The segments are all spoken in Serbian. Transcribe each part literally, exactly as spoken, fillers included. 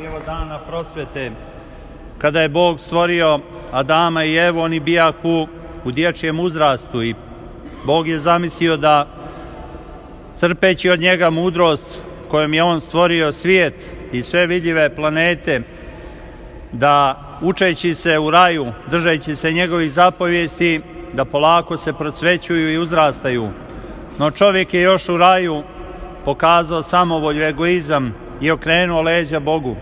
evo dana prosvete. Kada je Bog stvorio Adama i Evu, oni bijahu u dječjem uzrastu i Bog je zamislio da, crpeći od njega mudrost kojom je on stvorio svijet i sve vidljive planete, da učeći se u raju, držeći se njegovih zapovijesti, da polako se procvećuju i uzrastaju. No čovjek je još u raju pokazao samovolju, egoizam i okrenuo leđa Bogu.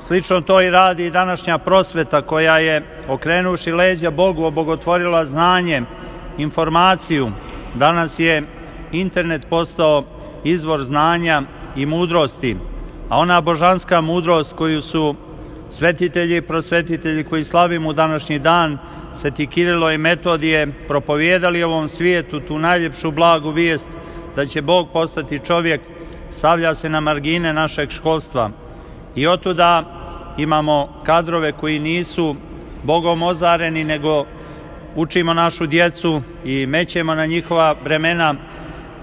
Slično to i radi i današnja prosveta koja je, okrenuši leđa Bogu, obogotvorila znanje, informaciju. Danas je internet postao izvor znanja i mudrosti, a ona božanska mudrost koju su svetitelji i prosvetitelji koji slavimo u današnji dan, Sveti Kirilo i Metodije, propovijedali ovom svijetu tu najljepšu blagu vijest da će Bog postati čovjek, stavlja se na margine našeg školstva. I otuda imamo kadrove koji nisu Bogom ozareni, nego učimo našu djecu i mećemo na njihova bremena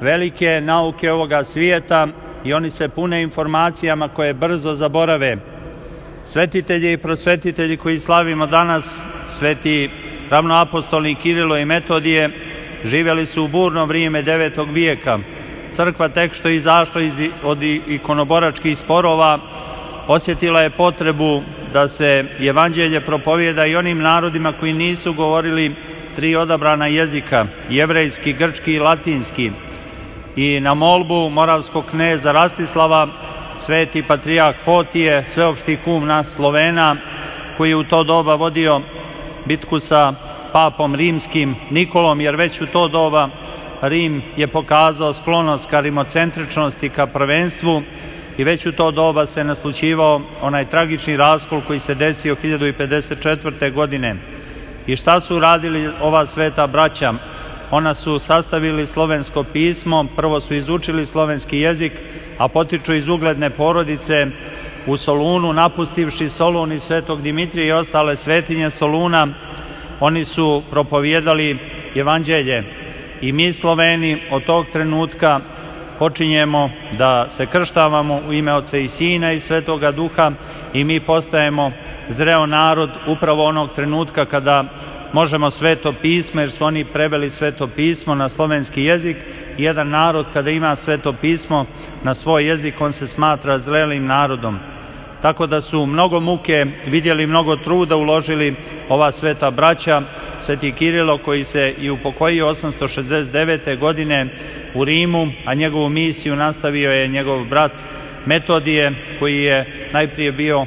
velike nauke ovoga svijeta i oni se pune informacijama koje brzo zaborave. Svetitelji i prosvetitelji koji slavimo danas, sveti ravnoapostolni Kirilo i Metodije, živjeli su u burno vrijeme devetog vijeka. Crkva tek što je izašla iz, od ikonoboračkih sporova, osjetila je potrebu da se evanđelje propovijeda i onim narodima koji nisu govorili tri odabrana jezika, jevrejski, grčki i latinski. I na molbu moravskog kneza Rastislava, sveti patrijarh Fotije, sveopšti kum nas Slovena, koji je u to doba vodio bitku sa papom rimskim Nikolom, jer već u to doba Rim je pokazao sklonost ka rimocentričnosti, ka prvenstvu, i već u to doba se naslućivao onaj tragični raskol koji se desio hiljadu pedeset četvrte. godine. I šta su radili ova sveta braća? Ona su sastavili slovensko pismo, prvo su izučili slovenski jezik, a potiču iz ugledne porodice u Solunu, napustivši Solun i Svetog Dimitrija i ostale svetinje Soluna, oni su propovijedali evanđelje. I mi Sloveni od tog trenutka počinjemo da se krštavamo u ime Oca i Sina i Svetoga Duha i mi postajemo zreo narod upravo onog trenutka kada možemo Sveto pismo, jer su oni preveli Sveto pismo na slovenski jezik. Jedan narod kada ima Sveto pismo na svoj jezik, on se smatra zrelim narodom. Tako da su mnogo muke vidjeli, mnogo truda uložili ova sveta braća. Sveti Kirilo koji se i upokojio osamsto šezdeset devete. godine u Rimu, a njegovu misiju nastavio je njegov brat Metodije, koji je najprije bio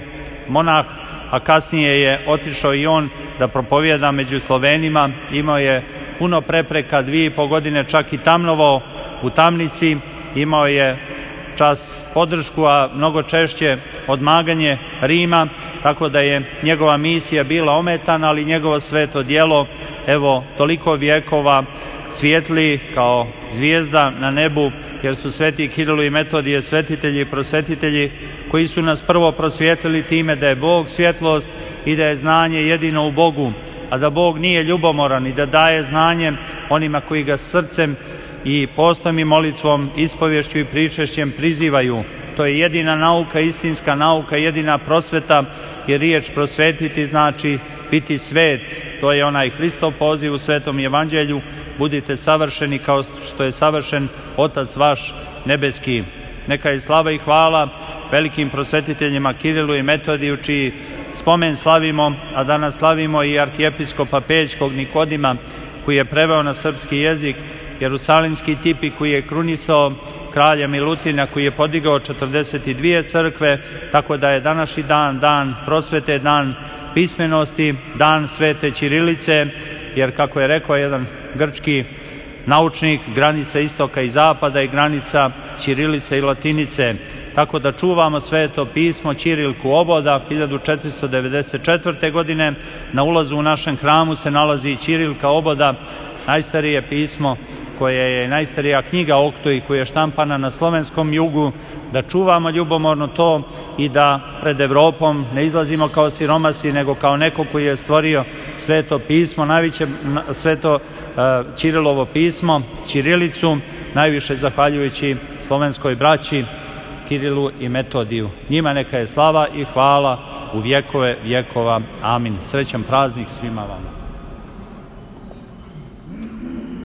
monah, a kasnije je otišao i on da propovijeda među Slovenima. Imao je puno prepreka, dvije i po godine čak i tamnovao u tamnici, imao je čas podršku, a mnogo češće odmaganje Rima, tako da je njegova misija bila ometana, ali njegovo sveto djelo, evo, toliko vjekova svijetli kao zvijezda na nebu, jer su sveti Kirilo i Metodije svetitelji i prosvetitelji koji su nas prvo prosvijetlili time da je Bog svjetlost i da je znanje jedino u Bogu, a da Bog nije ljubomoran i da daje znanje onima koji ga srcem i postom i molitvom, ispovješću i pričešćem prizivaju. To je jedina nauka, istinska nauka, jedina prosveta, jer riječ prosvetiti znači biti svet. To je onaj Hristov poziv u Svetom evanđelju: budite savršeni kao što je savršen Otac vaš nebeski. Neka je slava i hvala velikim prosvetiteljima Kirilu i Metodiju, čiji spomen slavimo, a danas slavimo i arhijepiskopa Peljskog Nikodima, koji je preveo na srpski jezik jerusalimski tipi, koji je krunisao kralja Milutina, koji je podigao četrdeset dvije crkve, tako da je današnji dan, dan prosvete, dan pismenosti, dan svete ćirilice, jer kako je rekao jedan grčki naučnik, granica istoka i zapada i granica ćirilice i latinice. Tako da čuvamo sveto pismo, ćirilku oboda. hiljadu četiristo devedeset četvrte. godine na ulazu u našem hramu se nalazi i ćirilka oboda, najstarije pismo koje je najstarija knjiga Oktoj, koja je štampana na slovenskom jugu, da čuvamo ljubomorno to i da pred Evropom ne izlazimo kao siromasi, nego kao neko koji je stvorio sveto pismo, najveće sveto uh, Ćirilovo pismo, ćirilicu, najviše zahvaljujući slovenskoj braći Kirilu i Metodiju. Njima neka je slava i hvala u vjekove vjekova. Amin. Srećan praznik svima vama.